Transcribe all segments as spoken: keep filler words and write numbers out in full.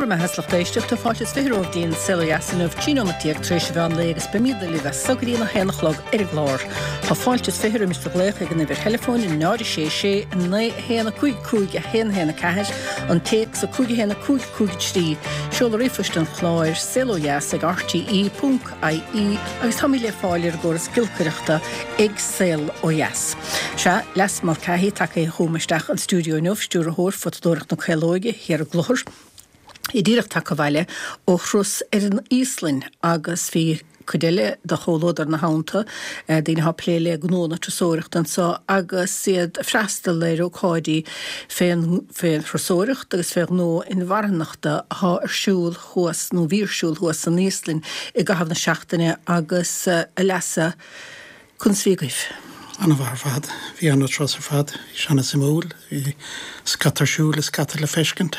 Go raibh maith agat, a lucht éisteachta. Fáilte is fiche romhaibh go dtí an Saol Ó Dheas inniu, trí nóiméad déag tar éis an mheán lae agus beimid libh as so go dtí a haon a chlog ar an gclár. Tá fáilte is fiche roimis do ghlaoch ag an uimhir theileafóin náid a sé sé naoi a haon a cúig cúig a haon haon a ceathair, an téacs a cúig a haon a cúig cúig trí, seoladh ríomhphoist an chláir saol ó dheas ag R T E ponc I E agus táimid le fáil ar an gcóras giolcaireachta ag Saol Ó Dheas. Sea, Leasa Mulcahy tagtha chugam isteach an stiúideo inniu, stiúrthóir Photadóireacht na Caolóige thiar i gClochar, í díreach tagtha abhaile ó thuras ar an Íoslainn agus bhí cuid eile de chomhluadar ina theannta, daoine atá ag plé le gnó na turasóireachta anseo agus iad ag freastal ar ócáidí fén fén thurasóireacht agus fé ghnó inmharthanachta atá ar siúl thuas nó bhí ar siúl thuas san Íoslainn i gcaitheamh na seachtaine. Agus a Leasa, conas a bhí agaibh? An-mhaith ar fad. Bhí an-turas ar fad, bhí sé an-suimiúil, bhí scata ar siúl is scata le feiscint.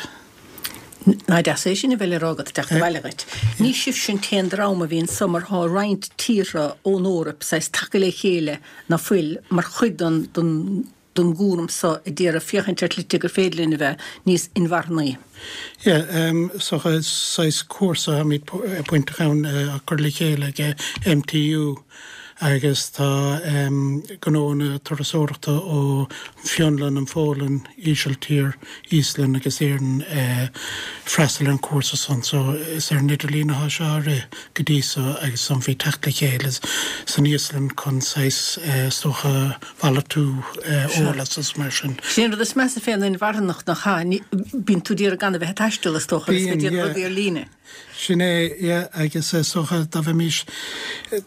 Ná deas é sin a bheith le rá agat teacht abhaile dhuit. Ní sibh sin an t-aon dream a bhí ansan mar tá roinnt tíortha ón Eoraip saghas tagtha le chéile ná fuil mar chuid den den den gcúram so a d'iarraidh féachaint ar shlite gur féidir linn a bheith níos inmharthanaí. Yeah, um, so saghas cúrsa táimid bainteach ann á chur le chéile ag M T U agus tá um, gnónna turasóireachta ó Fionlainn, an Pholainn, Ísiltír, Íoslainn agus Éirinn uh, freastal ar an cúrsa san. So is ar an idirlíon atá sé á rith go dtí so agus san bhí teacht le chéile san Íoslainn chun saghas uh, stocha mhalartú uh, eolas is mar sin. Sin rud is measa fén inmharthanacht nach ea, bíonn tú d'iarraidh gan a bheith ag taisteal, is dócha, agus Bíonn, go yeah. rudaí ar líne. Sin é, yeah, agus is dócha dá bheimis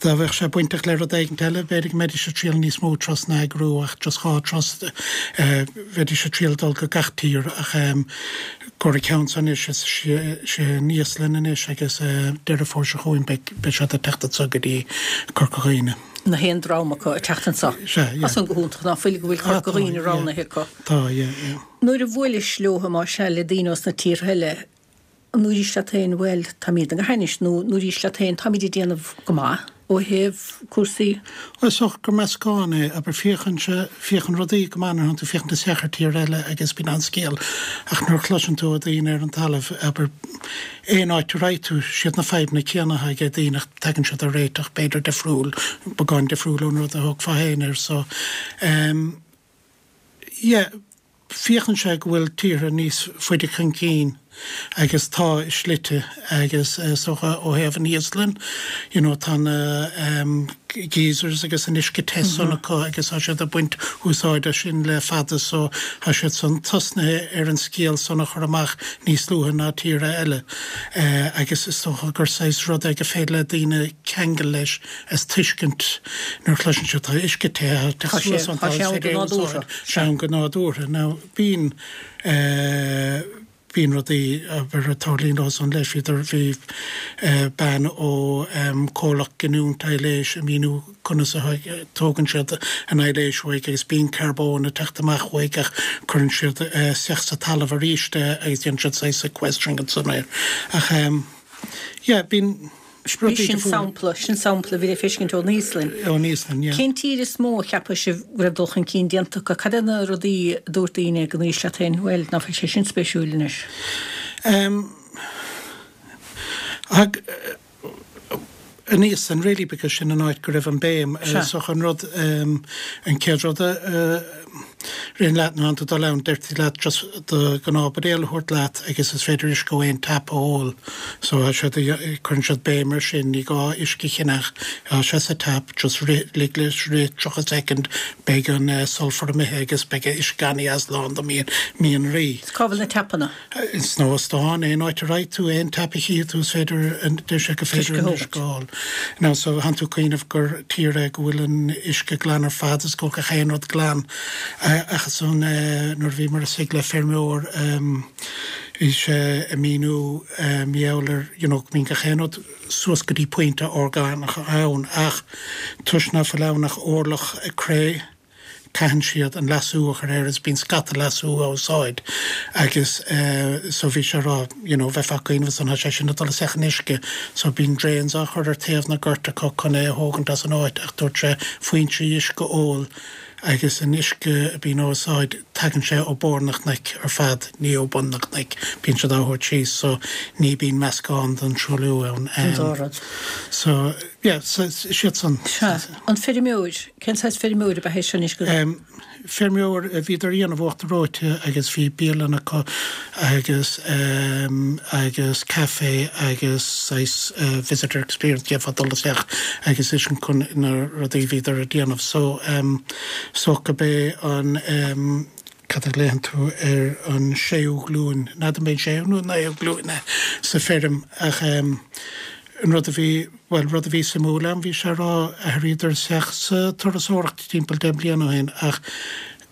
dá bheadh sé bainteach le rud éigin eile, b'fhéidir go mbeidís ag triail níos mó turas a eagrú ach just dhá turas, uh, bheidís ag triail dul go gach tír ach um, gur ceann san is sé sé an Íoslainn anois agus uh, Deireadh Fómhair seo chugainn beidh siad ag teacht anseo go dtí Corca Dhuibhne. Na haon dream acu ag teacht anseo. Sea, yeah. As an go hiontach ná fuil go bhfuil Corca Ah, tá, Dhuibhne yeah. roghnaithe acu. Tá, yeah, yeah. Nuair a bhuailis leo má sea le daoine os na tíortha eile, nuair is leat féin, bhuel, táimid go hainnis nó nuair is leat féin táimid ag déanamh go maith ó thaobh cúrsaí? Well, so gur meascán é, aber féachann sé féachann rudaí go maith nuair tú féachaint isteach ar tír eile agus bíonn an scéal ach nuair chloiseann tú ó daoine ar an talamh, aber aon áit a raibh tú, siad na fadhbanna céanna ag daoine ach tagann siad ar réiteach b'fhéidir difriúil, beagán difriúil ón rud a thógfá féin air. So um, yeah, féachann sé go bhfuil tíortha níos faide chun cinn agus tá i slite agus uh, socha ó thaobh an Íoslainn, you know, tá na um, geysers agus an uisce te san mm -hmm. acu agus tá siad ag baint úsáide sin le fada, so tá siad san tosnaithe ar an scéal san a chur amach níos luaithe ná tíortha eile uh, agus is dócha gur saghas rud é gur féidir le daoine ceangal leis as tuiscint nuair chloiseann siad tá uisce te. Tá sé- tá sé ann go nádúrtha. Sé ann go nádúrtha. Now bíonn uh, bíonn rudaí ag tarlú san leis. Bhí bhí bean ó um, comhlacht giniúint aibhléis ag míniú conas a tógann siad an aibhléis uaidh agus bíonn carbón ag teacht amach uaidh ach cuireann siad uh, isteach sa talamh arís agus déanann siad saghas sequestering an air. Ach um, yeah, bíonn Bhí sin sampla, sin sampla bhí le feiscint ón Íoslainn. Ón Íoslainn, yeah. Cén tír is mó a cheapadh sibh go raibh dul chun cinn déanta acu? Cad é na rudaí a dúirt daoine go n-éist leat féin, bhuel, ná fuil sé sin spéisiúil anois? Um, ag, an Íoslainn really, because sin an áit go raibh an béim uh, so an rud um, an chéad rud uh, rin leat ná tú dul ann, deirtí leat just do ghnáthbhuidéal a thabhairt leat agus is féidir uisce ó aon tap a ól, so siad cuireann siad béim ar sin, ní gá uisce a cheannach, sé sa tap, just rith lig leis rith tríocha second, beidh an uh, sulfur imithe agus beidh uisce an-deas lán do mian mianraí. Cá bhfuil na tapanna? Sna hóstáin, aon áit a raibh tú, aon tap a chí tú, is féidir deir sé go féidir an uisce a ól. Now so tánn tú ag cuimhneamh gur tír é go bhfuil an uisce glan ar fad is go gach aon rud glan, ach san nuair bhí mar sig le feirmeoir, bhí sé ag míniú meabhair you know mín gach aon rud suas go dtí pointe orgánach ann ach toisc nach bhfuil ann ach orlach cré, caitheann siad an leasú a chur air is bíonn scata leasú á úsáid agus uh, so bhí sé rá you know, bheith cuimhneamh an sé sin dul isteach in uisce, so bíonn drains á chur ar taobh na gort acu chun é a thógaint as an áit ach dúirt sé foinsí uisce óil. agus an uisce a bíonn á úsáid tagann sé ó barr na cnoic ar fad ní ó bun na cnoic bíonn siad á thabhairt síos so ní bíonn meascán den truailliú ann. An dá rud. So yeah, so siad san. Sea. An feirmeoir, cén saghas feirmeoir ab ea é seo anois go. Um, feirmeoir a bhíodar a dhéanamh uachtar reoite agus bhí bialann acu agus um, agus café agus saghas uh, visitor experience d'fhéadfá dul isteach agus is sin chun na rudaí bhíodar a dhéanamh so um, so go bé an um, cad a léann tú ar an séú glúin ná mé séú nó naoú glúin sa feirm ach um, an rud a bhí well rud a bhí suimiúil ann bhí sé rá athraíodar isteach sa turasóireacht timpeall deich mbliana ó shin ach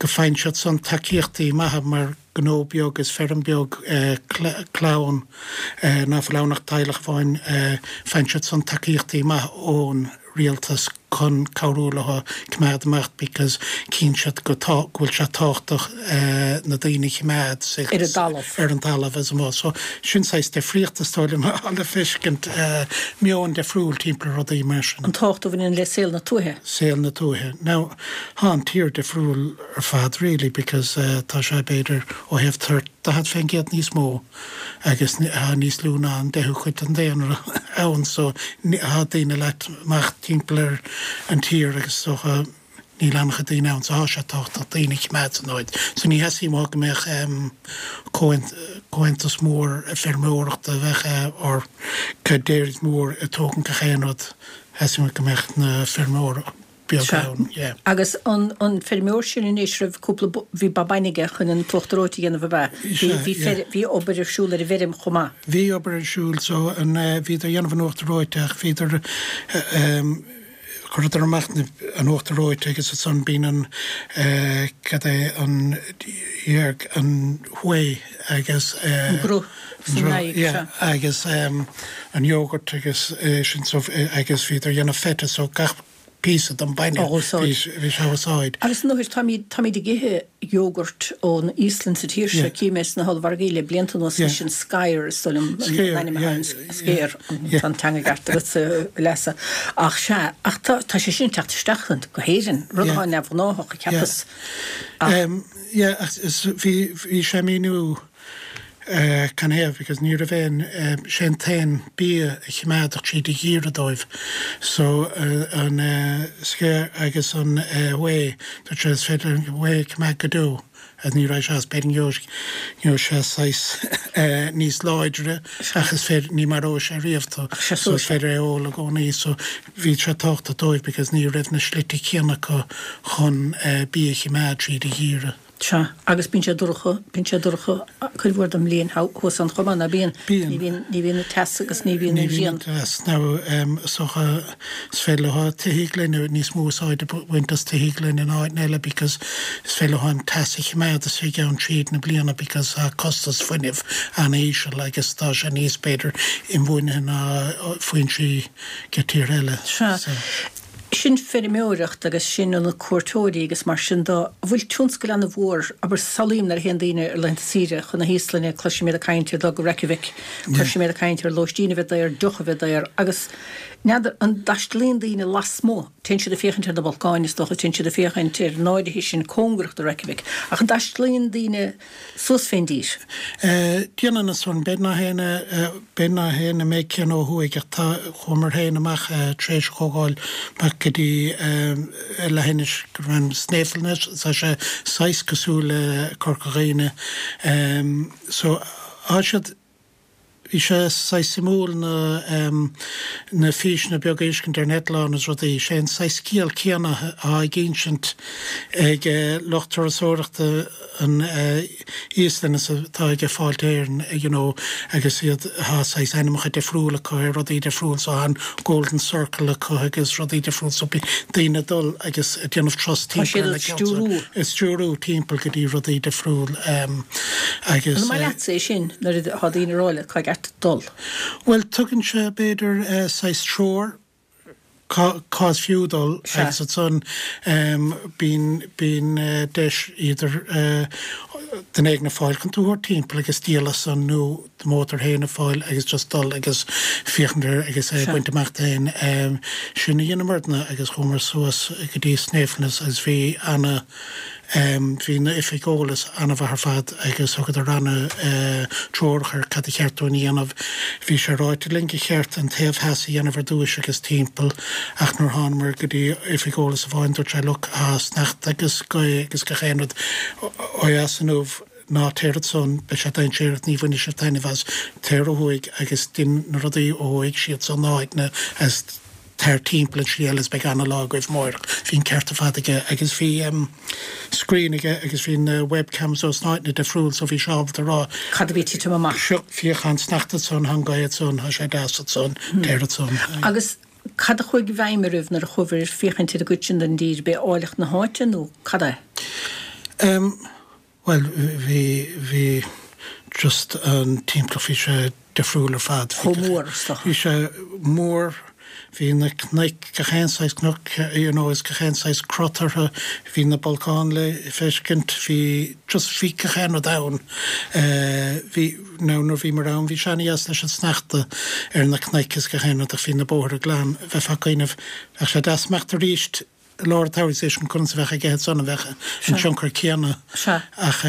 go faigheann siad san tacaíochtaí maithe mar gnó beag is feirm beag eh, clann eh, ná fuil ann ach teaghlach amháin eh, faigheann siad san tacaíochtaí maithe ón rialtas chun cabhrú leo coimeád amach because cíonn siad go tá go bhfuil sé tábhachtach eh, na daoine a choimeád sa- Ar an talamh. ar an talamh as mó. So sin saghas difríocht is dóigh liom le feiscint eh, meon difriúil timpeall rudaí mar sin. An tábhacht a bhaineann le saol na tuaithe. saol na tuaithe. Now tá an tír difriúil ar fad really because uh, tá sé b'fhéidir ó thaobh toirt daichead faoin gcéad níos mó agus tá níos lú ná an deichiú cuid den daonra ann so tá daoine leite amach timpeall ar an tír agus so níl an-chuid daoine ann so tá sé tábhachtach daoine a choimeád san áit. So ní theastaíonn uathu go mbeadh um, comhaontas mór feirmeoireachta a bheith uh, or dairies mór ag tógaint gach aon rud theastaíonn go mbeadh na feirmeoir beag Sea. ann. Yeah. Agus an, an feirmeoir sin anois raibh cúpla bo- bhí ba bainne aige chun an t-uachtar reoite a dhéanamh ab ea. Bhí Sea, bhí yeah. fer- bhí obair ar siúl ar an bhfeirm chomh maith. Bhí obair ar siúl so an uh, bhíodar dhéanamh an uachtar reoite ach bhíodar uh, um, chuireadar amach na- an uachtar reoite agus ansan bíonn an uh, cad é an dhearg an whey agus uh, An gruth san an aghaidh, yeah, sea. agus um, an yogurt agus uh, sin so, uh, agus bhíodar dhéanamh feta so gach píosa den bainne Á úsáid. bhí bhí sé úsáid. Agus nuair táimid táimid ag ithe jogurt ón Íoslainn sa tír seo Yeah. cím é sna hollmhargaí le blianta anuas Yeah. sin Skyr is dóigh liom Skyr, an ainm yeah, Skyr yeah. an teanga ceart agus leasa ach sea ach tá tá sé sin teacht isteach go hÉirinn rud Yeah. atá neamhghnách cheapas Um, yeah, ach is- bhí bhí sé míniú uh, can heh, because ní raibh aon um, sé an t-aon bia a choimeádfadh tríd an gheimhreadh dóibh. So uh, an uh, skyr agus an uh, whey, tá sé is féidir an whey coimeád go deo. Agus ní raibh sé as b'fhéidir gheobhaidh sé saghas uh, níos láidre ach is féidir ní maróidh sé riamh tú. sé So is féidir é ól i gcónaí, so bhí sé tábhachtach dóibh because ní raibh na slite céanna acu chun uh, bia a choimeád tríd an gheimhreadh. Sea agus bíonn sé dorcha bíonn sé dorcha cuid mhór den mbliain thuas ann chomh maith ná bíonn Bíonn. ní bhíonn ní bhíonn an teas agus ní bhíonn an ghrian. Now um, so is féidir leo tithe gloine níos mó úsáid a bhaint as tithe gloine in áit eile because is féidir leo an teas a choimeád istigh ann tríd na bliana because uh, costas fuinnimh an-íseal agus tá sé níos b'fhéidir inbhuanaithe ná foinsí go tír eile. Sea. So, Sin feirmeoireacht agus sin na cuairteoirí agus mar sin de bhfuil tionscal an-mhór abair samhlaím nuair a théann daoine ar laethanta saoire chun na hÍoslainne cloisim iad ag caint ar dul go Reykjavik, cloisim iad ag caint ar lóistín a bheith daor, deoch a bheith daor, agus n'fheadar an dtaistealaíonn daoine lasmuigh, téann siad ag féachaint ar na bolcáin is dócha téann siad ag féachaint ar na háiteanna sin cóngarach do Reykjavik, ach an dtaistealaíonn daoine suas fén dtír. Uh, Déanann na son b'fhéidir nach héine b'fhéidir nach héine mé cén ó thuaidh ach tá chuamar féin amach uh, tar éis chomhdháil amach go dtí um, leithinis go raibh Snæfellsnes tá sé saghas cosúil le Corca Dhuibhne um, so tá siad Bhí sé saghas suimiúil na um, na físeanna beaga a fheiscint ar an eitleán is rudaí sé an saghas scéal céanna á insint ag uh, lucht turasóireachta an uh, Íoslainn is atá ag Fáilte Éireann you know, agus iad tá saghas ainmneacha difriúla acu ar rudaí difriúil so an Golden Circle acu agus rudaí difriúil so bíonn daoine dul agus ag déanamh turas Tá siad timpeall ag stiúrú. Is stiúrú timpeall go dtí rudaí difriúil um, agus An maith leatsa é sin nuair atá daoine ag rá leat cá gceart dul. Well tugann sé b'fhéidir uh, saghas treoir cá cá fiú dul Sea. agus ansan um, bíonn bíonn uh, deis idir uh, Duine éigin a fáil chun tú a thabhairt timpeall agus díol as san nó do mhótar féin a fáil agus just dul agus féachaint air agus é a bhaint amach féin. Sin a dheineamarna agus chuamar suas go dtí Snæfellsnes agus bhí ana bhí na oifig eolais ana-mhaith ar fad agus thugadar ana treorach ar cad a cheart dúinn a dhéanamh. Bhí sé ráite linn gur cheart an taobh theas a dhéanamh ar dtúis agus timpeall ach nuair thánamar go dtí oifig eolais amháin dúirt sé look tá sneachta agus gaoth agus gach aon rud ó dheas inniu ná téir ansan beidh sé dainséarach ní bhainfidh sibh taitneamh as téir ó thuaidh agus dein na rudaí ó thuaidh siad san áiteanna as Tar timpeall an slí eile is beidh ana-lá agaibh amáireach. Bhí an ceart ar fad aige agus bhí screen aige agus bhí na webcams ós na háiteanna difriúil so bhí sé ábalta rá Cad a bhí ag titim amach? Seo, féach tá an sneachta ansan, tá an ghaoth ansan, tá sé deas ansan, téir ansan. Agus cad a chuaigh i bhfeidhm oraibh nuair a chuabhair ag féachaint ar an gcuid sin den dtír? B'é áilleacht na háite nó cad é? Bhuel, bhí, bhí just an timpeallacht, bhí sé difriúil ar fad. Chomh mór, is dócha. Bhí sé mór, bhí na cnoic, gach aon saghas cnoc, you know, is gach aon saghas crot orthu, bhí na bolcáin le feiscint, bhí just, bhí gach aon rud ann. Bhí, now nuair a bhíomar ann, bhí sé ana-dheas leis an sneachta ar na cnoic is gach aon rud ach bhí na bóithre glan, bheifeá ag cuimhneamh, bheadh sé deas imeacht arís i lár an tsamhraidh is conas a bheadh aige ansan, an bheadh an tionchar céanna ach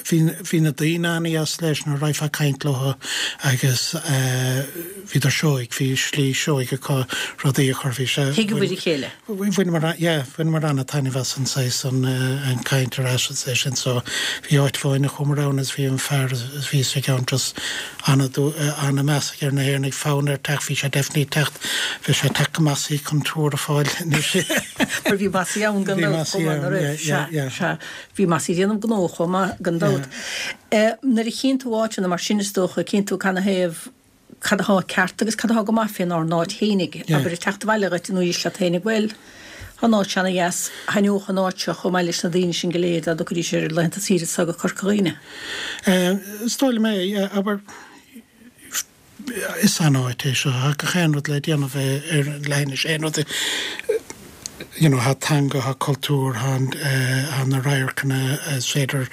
bhí bhí na daoine an-dheas leis nuair a raghfá ag caint leo agus bhíodar seoigh, bhí slí seoigh acu rudaí a chur, bhí sé. Thuigeabhair a chéile. Bhaineamar, yeah, bhaineamar an-taitneamh as an saghas an an caint ar ais is é sin so bhí áit amháin a chuamar ann is bhí an fear a bhí istigh ann just ana-mheas aige ar na hÉireannaigh, fonn air teacht, bhí sé definitely ag teacht, bhí sé ag teacht go Massey chun tour a fáil anois. Mar bhí Massey ann gan dabht chomh maith, an raibh? Sea, sea. Bhí Massey ag déanamh gnó chomh maith gan dabht. Nuair a chíonn tú áiteanna mar sin is dócha, cíonn tú canathaobh cad atá ceart agus cad atá go maith fénár n-áit fhéinig. Abair ag teacht abhaile dhuit nó éist leat fhéinig, bhuel, tá an áit seo ana-dheas, thaitneodh an áit seo chomh maith leis na daoine sin go léir dá dtiocfaidís ar laethanta saoire so go Corca Dhuibhne. Is dóigh liom é, abair, is an-áit é seo, tá gach aon rud le déanamh ar an leithinis, aon rud, you know, tá teanga, tá cultúr, tá tá na radharcanna, is féidir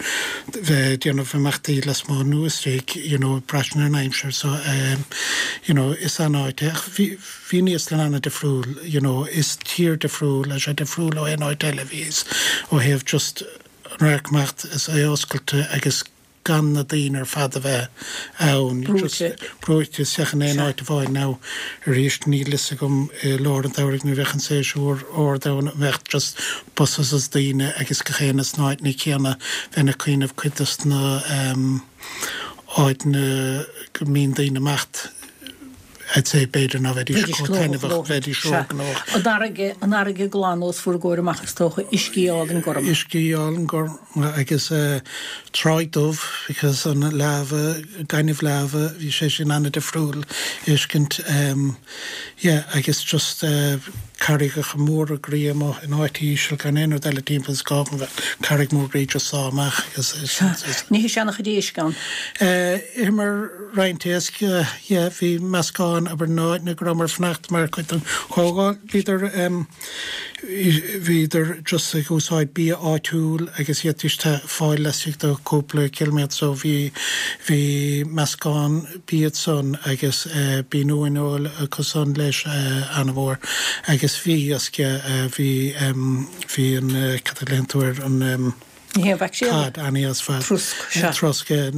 bheith ag déanamh imeachtaí lasmuigh nó istigh, you know, braitheann ar an aimsir so you know, is an-áit é. Ach bhí bhí an Íoslainn an-difriúil, you know, is tír difriúil, tá sé difriúil ó aon áit eile, bhí is ó thaobh just an radharc amach is é oscailte agus gan na daoine ar fad a bheith ann, just brúite isteach in aon áit amháin. Now, arís, níl fhios agam i lár an tsamhraidh nuair a bheadh an séasúr ard ann, an mbeadh just buses is daoine agus gach aon sna áiteanna céanna, bheinn ag cuimhneamh cuid dos na áiteanna go mbíonn daoine imeacht, I'd say b'fhéidir ná bheidís chomh taitneamhach, bheidís ró-ghnóthach. An fharraige, an fharraige glan os bhur gcomhair amach is dócha, uiscí álainn gorm. Uiscí álainn gorm agus Tráigh Dubh because an lava, gaineamh lava, bhí sé sin an-difriúil a fheiscint. Yeah agus just carraigeacha móra groí amuigh in áit íseal gan aon rud eile timpeall is gá go mbeadh carraig mór groí just sá amach agus is. Ní hé sin an-chuid éisc ann. Itheamar roinnt éisc, yeah, bhí meascán, abair na háiteanna go rabhamar ag fanacht mar chuid den chomhdháil, bhíodar, bhíodar just ag úsáid bia áitiúil agus d'fhéadfaidís é fáil laistigh de cúpla ciliméadar so bhí, bhí meascán bia ansan agus bíonn uaineoil acu san leis an-mhór agus bhí iasc, yeah, bhí, bhí an, cad a ghlaonn tú air, an. Ní hé an mhaicréal? Cod, an-dheas ar fad. Trosc, sea. Trosc, yeah.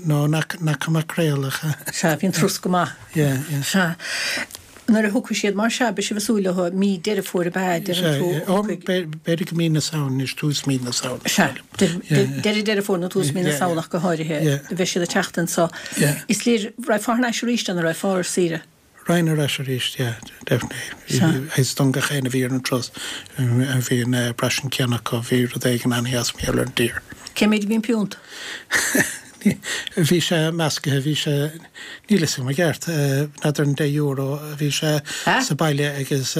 No, nach, nach maicréal ach. Sea, bhí an trosc go maith. Yeah, yeah. Sea. Nuair a thiocfaidh siad mar sea, beidh sibh ag súil leo mí Deireadh Fómhair ab ea, deireann tú? Sea, b'fhéidir go mí na Samhna anois, tús mí na Samhna. Sea, deireadh Deireadh Fómhair nó tús mí na Samhna ach go háirithe, bheidh siad ag teacht anso. Is léir, raghfá thar n-ais arís an raghfá ar saoire? Raghainn ar ais arís, yeah, definitely. Is don gach éinne a bhí ar an turas, bhí an braistint céanna acu, bhí rud éigin an-dheas mar gheall ar an dtír. Cé mhéid a bhí an piúnt? Bhí sé measctha, bhí sé, níl a fhios agam i gceart, n'fheadar an deich euro a bhí sé sa baile agus.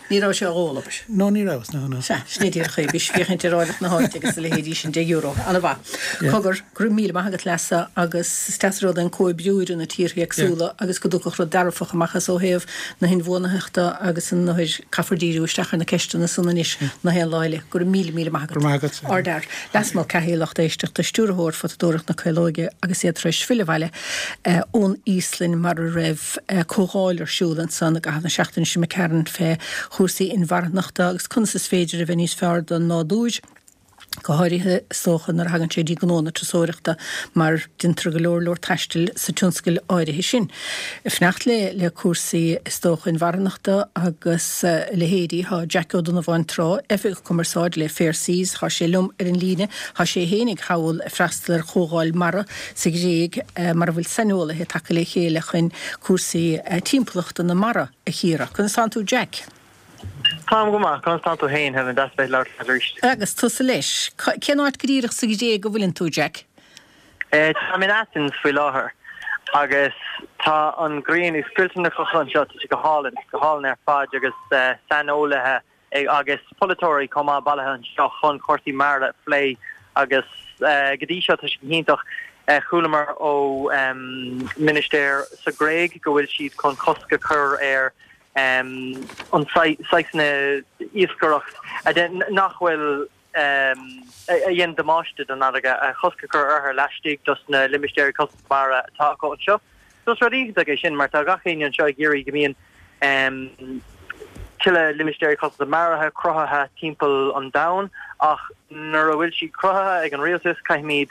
Ní raibh sé á ól, abair? No, ní raibh, no, no. Sea, sin é díreach é, bhí sé féachaint ar áilleacht na háite agus a leithéidí sin, deich euro, an-mhaith. Cogar, go raibh míle maith agat leasa agus is deas an rud é an comhoibriú idir na tíortha éagsúla agus go dtiocfadh rud dearfach amach as ó thaobh na hinbhuanaitheachta agus an othair, caithfear díriú isteach ar na ceisteanna san anois ná haon lá eile. Go raibh míle míle maith agat. Go raibh maith agat. Ardfhear. Leas Mulcahy, lucht éisteachta, Stiúrthóir Photadóireacht na Caolóige agus iad tar éis filleadh abhaile ón Íoslainn mar a raibh comhdháil ar siúl ansan i gcaitheamh na seachtaine seo imigh tharainn fé chúrsaí inmharthanachta agus conas is féidir a bheith níos fearr don nádúr. Go háirithe, is dócha, nuair a thagann sé dtí gnó na turasóireachta mar deintear go leor leor taistil sa tionscal áirithe sin. Ag fanacht le le cúrsaí, is dócha, inmharthanachta agus a leithéidí, thá Jack Ó Donnabháin Trá, Oifigeach Cumarsáide le Fair Seas, thá sé liom ar an líne, thá sé fhéinig thall ag freastal ar chomhdháil mara sa Ghréig mar a bhfuil saineolaithe tagtha le chéile chun cúrsaí timpeallachta na mara a chíoradh. Conas tánn tú Jack? Táim go maith, conas tánn tú féin, Helen? Deas bheith ag labhairt leat arís. Agus tusa leis. Cén áit go díreach sa Ghréig a bhfuileann tú, Jack? Táim in Athens faoi láthair agus tá an ghrian ag scoilteadh na clocha anseo, tá sé go hálainn, go hálainn ar fad agus saineolaithe agus polaiteoirí chomh maith bailithe anseo chun cúrsaí mara a phlé agus go dtí seo tá sé go hiontach. Chualamar ó ministéir sa Ghréig go bhfuil siad chun cosc a chur ar an saghas iascaireacht nach bhfuil a dhéanann damáiste don fharraige, cosc a chur uirthi laistigh dos na limistéirí cosanta mara atá acu anseo. So is rud iontach é sin mar tá gach éinne anseo ag iarraidh go mbíonn tuilleadh limistéirí cosanta mara cruthaithe timpeall an domhain ach nuair a bhfuil siad cruthaithe ag an rialtas caithfimid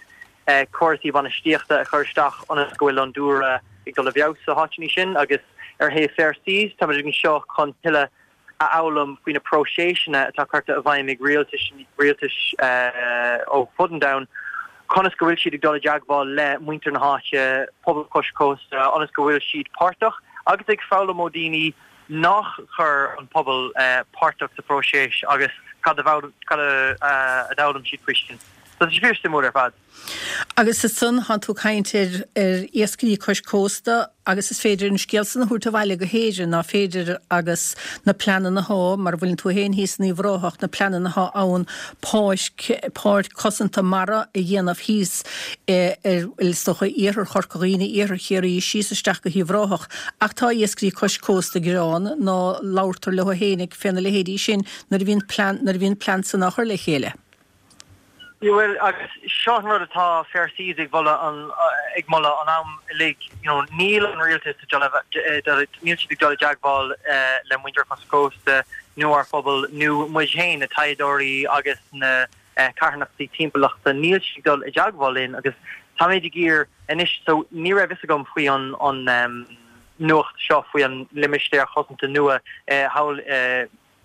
córasaí bainistíochta a chur isteach ionas go bhfuil an dúlra ag dul i bhfeabhas sa háiteanna sin agus ar thaobh Fair Seas táimid anseo chun tuilleadh a fhoghlaim faoi na próiseasanna atá curtha i bhfeidhm ag rialtais rialtais ó fud an domhain conas go bhfuil siad ag dul i dteagmháil le muintir na háite, pobal cois cósta, ionas go bhfuil siad páirteach agus ag foghlaim ó daoine nach chuir an pobal páirteach sa phróiseas agus cad a a d'fhoghlaim siad faoi sin. So tá sé fíor-suimiúil ar fad. Agus ansan thánn tú ag caint ar ar iascairí cois cósta agus is féidir an scéal san a thabhairt abhaile go hÉirinn, ná féidir agus na pleananna athá, mar a bhfuileann tú féin thíos in Uíbh Ráthach, na pleananna athá ann páirc, páirc cosanta mara a dhéanamh thíos ar, is dócha, iarthar Chorca Dhuibhne, iarthar Chiarraí, síos isteach go hUíbh Ráthach. Ach tá iascairí cois cósta ag gearán ná labhartar leo fhéinig féna leithéidí sin nuair a bhíonn plean, nuair a bhíonn plean san á chur le chéile. Bhuel, agus seo an rud atá Fair Seas ag mholadh an ag moladh an am uilig, you know, níl an rialtas ag dul níl siad ag dul i dteagmháil le muintir cois cósta nó ár phobal nó muid féin, na taighdeoirí agus na carthanachtaí timpeallachta, níl siad ag dul i dteagmháil linn agus táimid ag iarraidh anois, so ní raibh fhios agam faoi an an nuacht seo faoi an limistéar chosanta nua thall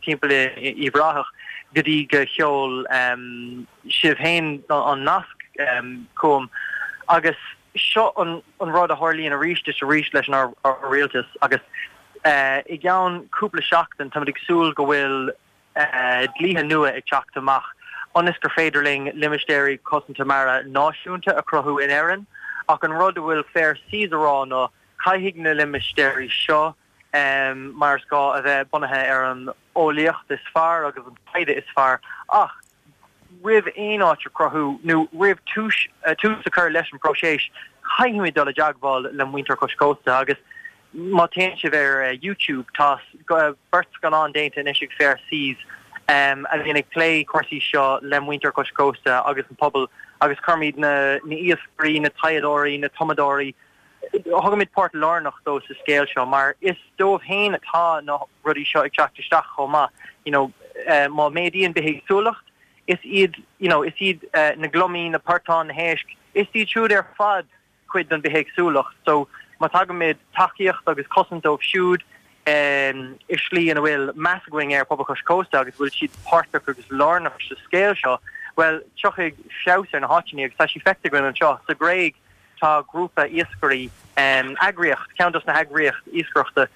timpeall i Uíbh Ráthach go dtí go sheol sibh féin an nasc chugam agus seo an rud a tharlaíonn arís is arís leis an rialtas agus i gceann cúpla seachtain táimid ag súil go bhfuil dlíthe nua ag teacht amach ionas gur féidir linn limistéirí cosanta mara náisiúnta a chruthú in Éirinn ach an rud a bhfuil Fair Seas a rá ná caithfidh na limistéirí seo mar is gá a bheith bunaithe ar an eolaíocht is fearr agus an taighde is fearr ach roimh aon áit a chruthú nó roimh tús tús a chur leis an bpróiseas, caithfimid dul i dteagmháil le muintir cois cósta agus má théann sibh ar YouTube tá beirt scannán déanta anois ag Fair Seas a bhíonn ag plé cúrsaí seo le muintir cois cósta agus an pobal agus cuirimid na na iascairí, na taighdeoirí, na tumadóirí, Thugaimid páirt lárnach dóibh sa scéal seo mar is dóibh féin atá na rudaí seo ag teacht isteach chomh maith. You know, má méadaíonn bithéagsúlacht, is iad, you know, is iad na gliomaigh, na portáin, na héisc, is iad siúd ar fad cuid den bithéagsúlacht. So má thugaimid tacaíocht agus cosaint dóibh siúd i slí ina bhfuil meas againn ar phobal cois cósta agus bhfuil siad páirteach agus lárnach sa scéal seo, bhuel, tiocfaidh feabhas ar na háiteanna agus tá sé feicthe againn anseo sa Ghréig. Tá grúpa iascairí, eagraíocht, ceann dos na heagraíocht iascaireachta,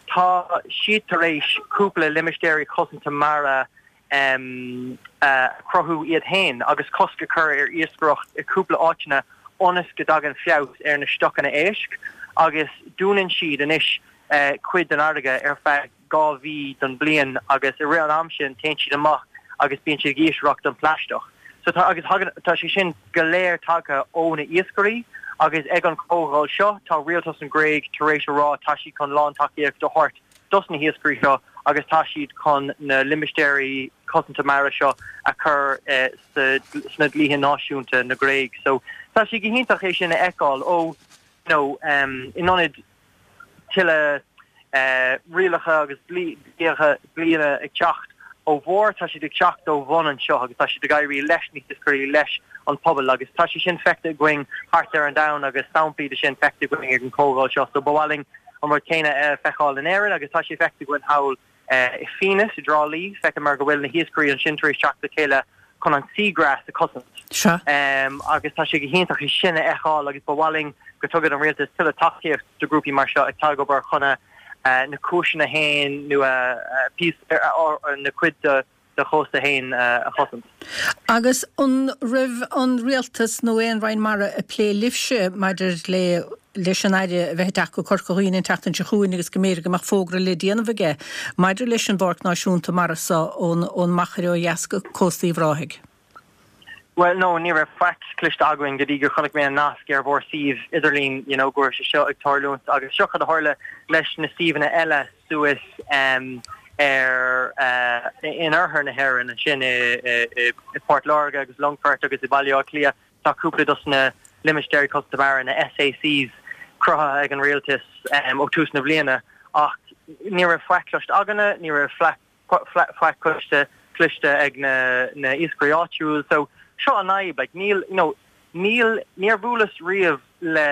tá siad tar éis cúpla limistéirí cosanta mara um, uh, cruthú iad féin agus cosc a chur ar iascaireacht i cúpla áiteanna ionas go dtagann feabhas ar na stocanna éisc agus dúnann siad anois uh, cuid den fharraige ar feadh dhá mhí den bliain agus i rith an am sin téann siad amach agus bíonn siad ag iascaireacht an plaisteach. So tá agus tá sé sin go léir tagtha ó na iascairí agus ag an comhdháil seo tá rialtas an Gréig tar éis a rá tá siad chun lántacaíocht a thabhairt dos na hiascairí seo agus tá siad chun na limistéirí cosanta mara seo a chur eh, sna dlíthe náisiúnta na Gréige. So tá sé go hiontach é sin a fheiceáil ó no um, in ionad tuilleadh uh, rialacha agus dlíthe bliana ag teacht ó bharr tá siad ag teacht ó bhun anseo agus tá siad ag éirí leis na hiascairí leis an pobal agus tá sé sin feicthe againn thart ar an domhan agus samplaí de sin feicthe againn ag an comhdháil seo so ba mhaith linn an rud céanna uh, feiceáil in Éirinn agus tá sé feicthe againn thall uh, i Fiannas i dTrá Lí feicim mar go bhfuil na hiascairí ansin tar éis teacht le chéile chun an seagrass a chosaint. Um, agus tá sé go hiontach sin a fheiceáil agus ba mhaith linn go dtugann an rialtas tuilleadh tacaíocht do grúpaí mar seo ag obair chun uh, na cúiseanna féin nó uh, uh, na cuid de de chósta féin uh, a chosaint. Agus an raibh an rialtas nó aon roinn mara ag plé libhse maidir le leis an aire bheith go Corca Dhuibhne an tseachtain seo chugainn agus go mb'fhéidir go mbeadh fógra le déanamh aige maidir leis an bPáirc Náisiúnta Mara seo ón ón Machaire ó dheas go cósta Uíbh Ráthaigh. Well no ní raibh faic cloiste againn go dtí gur chonaic mé an nasc ar bhur suíomh idirlín you know, go raibh sé seo ag tarlúint agus seo a tharla leis na suíomhanna eile suas um, ar uh, in oirthear na hÉireann ansin i, i, i, i Port Láirge agus Longfort agus i Baile Átha Cliath tá cúpla dos na limistéirí cosanta mara na SACs cruthaithe ag an rialtas um, ó tús na bliana ach ní raibh faic cloiste againne ní raibh faic cloiste cloiste ag na na iascairí áitiúil so seo an fhadhb like níl you know níl níor bhuaileas riamh le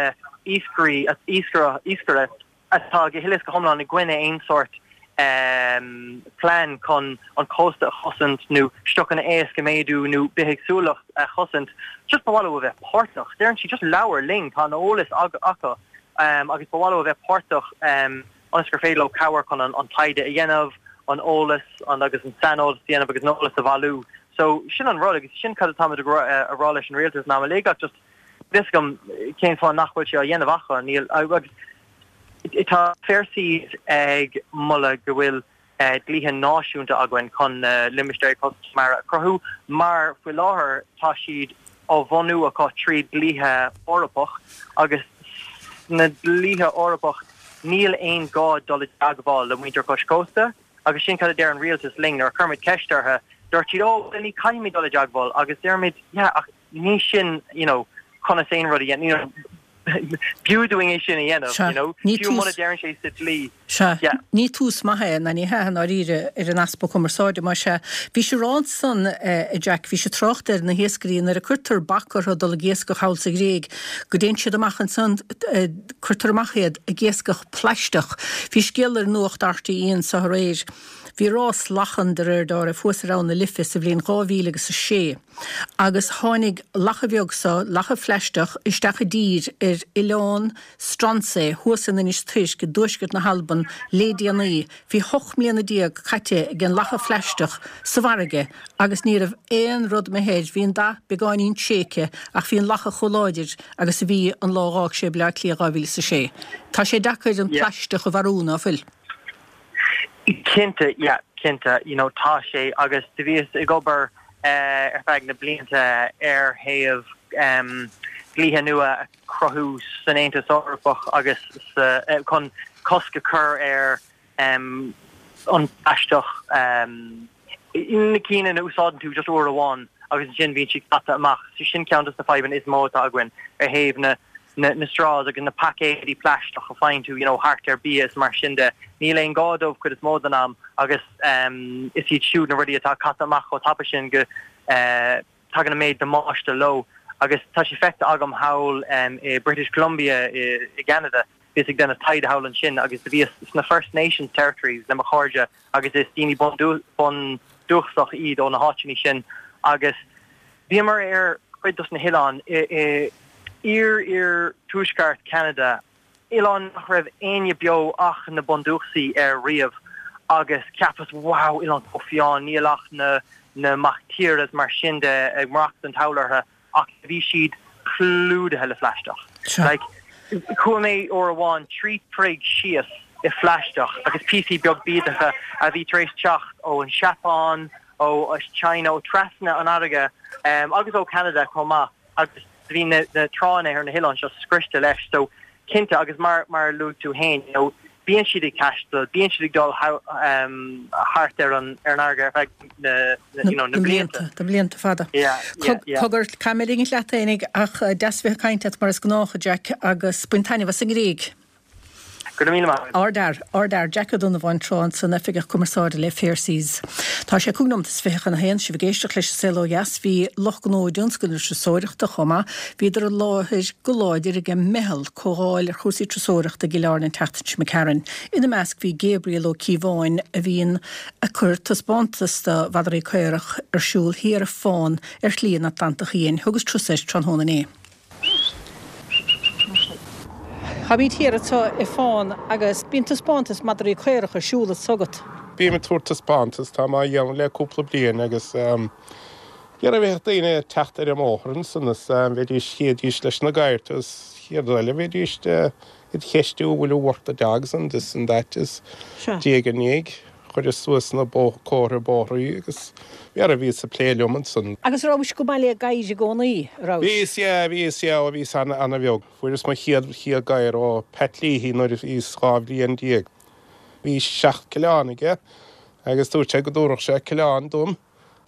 iascairí iascaire iascaire atá go huile is go hiomlán i gcoinne aon sórt um, plean chun an cósta a chosaint nó stocanna éisc a mhéadú nó bithéagsúlacht a chosaint just ba mhaith leo a bheith páirteach deireann siad just labhair linn tá an eolas acu um, agus ba mhaith leo a bheith páirteach um, ionas gur féidir leo cabhair chun an, an taighde a dhéanamh an eolas an agus an saineolas dhéanamh agus an eolas a bhailiú. So sin an rud agus sin cad atá a rá leis an rialtas ná le just vis gom cén fáth nach bhfuil sé á dhéanamh acu níl agus tá Fair Seas ag moladh go bhfuil uh, dlíthe náisiúnta againn chun uh, limistéir cosanta mara a chruthú mar faoi láthair tá siad á bhunú acu trí dlíthe Eorpach agus na dlíthe Eorpach níl aon gá dul i dteagmháil le muintir cois cósta agus sin cad a deir an rialtas linn nuair a chuir muid ceist orthu dúirt siad ó ní caithfimid dul i dteagmháil agus deirimid yeah, ach ní sin you know conas aon rud you know b'fhiú dúinn é sin a dhéanamh you know fiú muna deireann sé sa dlí Ní tús maith é na ní he áíre ar an easpa cumarsáide mar se bhí sé rá san eh, Jack bhí sé trácht ar na hiascairí nuair a cuirtear bac orthu dul ag iascach thall sa Ghréig go dtéann siad amach ansan eh, cuirtear amach iad ag iascach plaisteach. Bhí scéal ar nuacht RTÉ anseo aréir. Bhí rás lachan de réir dealraimh thuas ar Abhainn na Life sa bhliain dhá mhíle agus a sé. Agus tháinig lacha bheag sa lacha phlaisteach isteach i dtír ar oileán Stronsay thuas in Inis Tuirc i dtuaisceart na hAlban le déanaí, bhí ocht mbliana déag caite ag an lacha phlaisteach sa bhfarraige agus ní raibh aon rud imithe air bhí an dath beagáinín tréigthe ach bhí an lacha chomh láidir agus a bhí an lá a d'fhág sé Baile Átha Cliath dhá mhíle is a sé. Tá sé deacair an plaisteach a mharú ná fuil. Cinnte yeah, cinnte you know tá sé agus do bhíos ag obair uh, ar feadh na blianta ar thaobh um, dlíthe nua a chruthú san Aontas Eorpach agus uh, chun cosc a chur ar um, an plaisteach um, na cinn a úsáideann tú just uair amháin agus sin bíonn sé caite amach so sin ceann de na fadhbanna is mó atá againn ar thaobh na na, na straws agus na paicéidí plaisteach a faigheann tú you know thart ar bia is mar sin de níl aon gá dóibh cuid is mó den am agus um, is iad siúd na rudaí atá caite amach chomh tapa sin go uh, tagann an méid damáiste leo agus tá sé feicthe agam thall um, i British Columbia i, i Canada bhíos ag déanamh taighde thall ansin agus do bhíos sna First Nations territories le mo chairde agus is daoine bundúchasach iad ó na háiteanna sin agus bhíomar ar chuid dos na hoileáin i, i iar iar tuaisceart Canada oileán nach raibh éinne beo ach na bundúchasaigh air riamh agus cheapas wow oileán chomh fiáin níl ach na na mactíre is mar sin de ag maireachtáil orthu ach bhí siad clúdaithe le phlaisteach. Like chuaigh mé uair amháin trí troigh síos i phlaisteach agus píosaí beag bídeacha a bhí tar éis teacht ó an Seapáin ó China ó trasna an fharraige um, agus ó Canada chomh maith agus bhí na, na tránna ar na hoileáin seo scriosta leis so cinnte agus mar mar luaigh tú féin you know, bíonn siad ag taisteal bíonn siad ag dul um, thart ar an ar an fharraige ar feadh na, na, you know, na blianta na blianta fada. Cogar Camelling leaténig ach eh, deas bheith ag caint leat mar is gnách Jack agus bain taitneamh as an nGréig. Go raibh míle maith. Ardfhear, ardfhear Jack Ó Donnabháin tráth san oifigeach cumarsáide le Fair Seas. Tá sé cúig nóiméad is fiche chun a haon sibh ag éisteacht leis an Saol Ó Dheas bhí lucht gnó i dtionscal na turasóireachta chomh maith, bhíodar i láthair go láidir ag an meitheal comhdháil ar chúrsaí turasóireachta i gCill Airne an tseachtain seo imigh tharainn. Ina measc bhí Gabriel Ó Cíobháin a bhíonn ag cur taispeántas de mhadraí caorach ar siúl thiar i Fán ar Shlí an Atlantach Fhiáin. Thugas turas air tráthnóna inné. Táimid thiar anseo i Fán agus bíonn taispeántas madraí caorach ar siúl anseo agat. Bím ag tabhairt taispeántas, tá mé á dhéanamh le cúpla bliain agus dhera bheadh daoine ag teacht ar an mbóthar ansan is bheidís, chídís leis na gadhartha is chéad rud eile bheidís id cheistiú will you work the dogs and this and that is diaidh ar ndiaidh. Chuireas suas na comharthaí bóithre agus dhera bhíos ag plé liom ansan. Agus rabhais go maith le gadhair i gcónaí, rabhais? Bhíos, yeah, bhíos, yeah, ó bhíos ana-bheag. Fuaireas mo chéad, chéad ghadhar ó Pat Leahy nuair a bhíos dhá bhliain déag. Bhí seacht coileán aige agus dúirt sé go dtabharfadh sé coileán dom,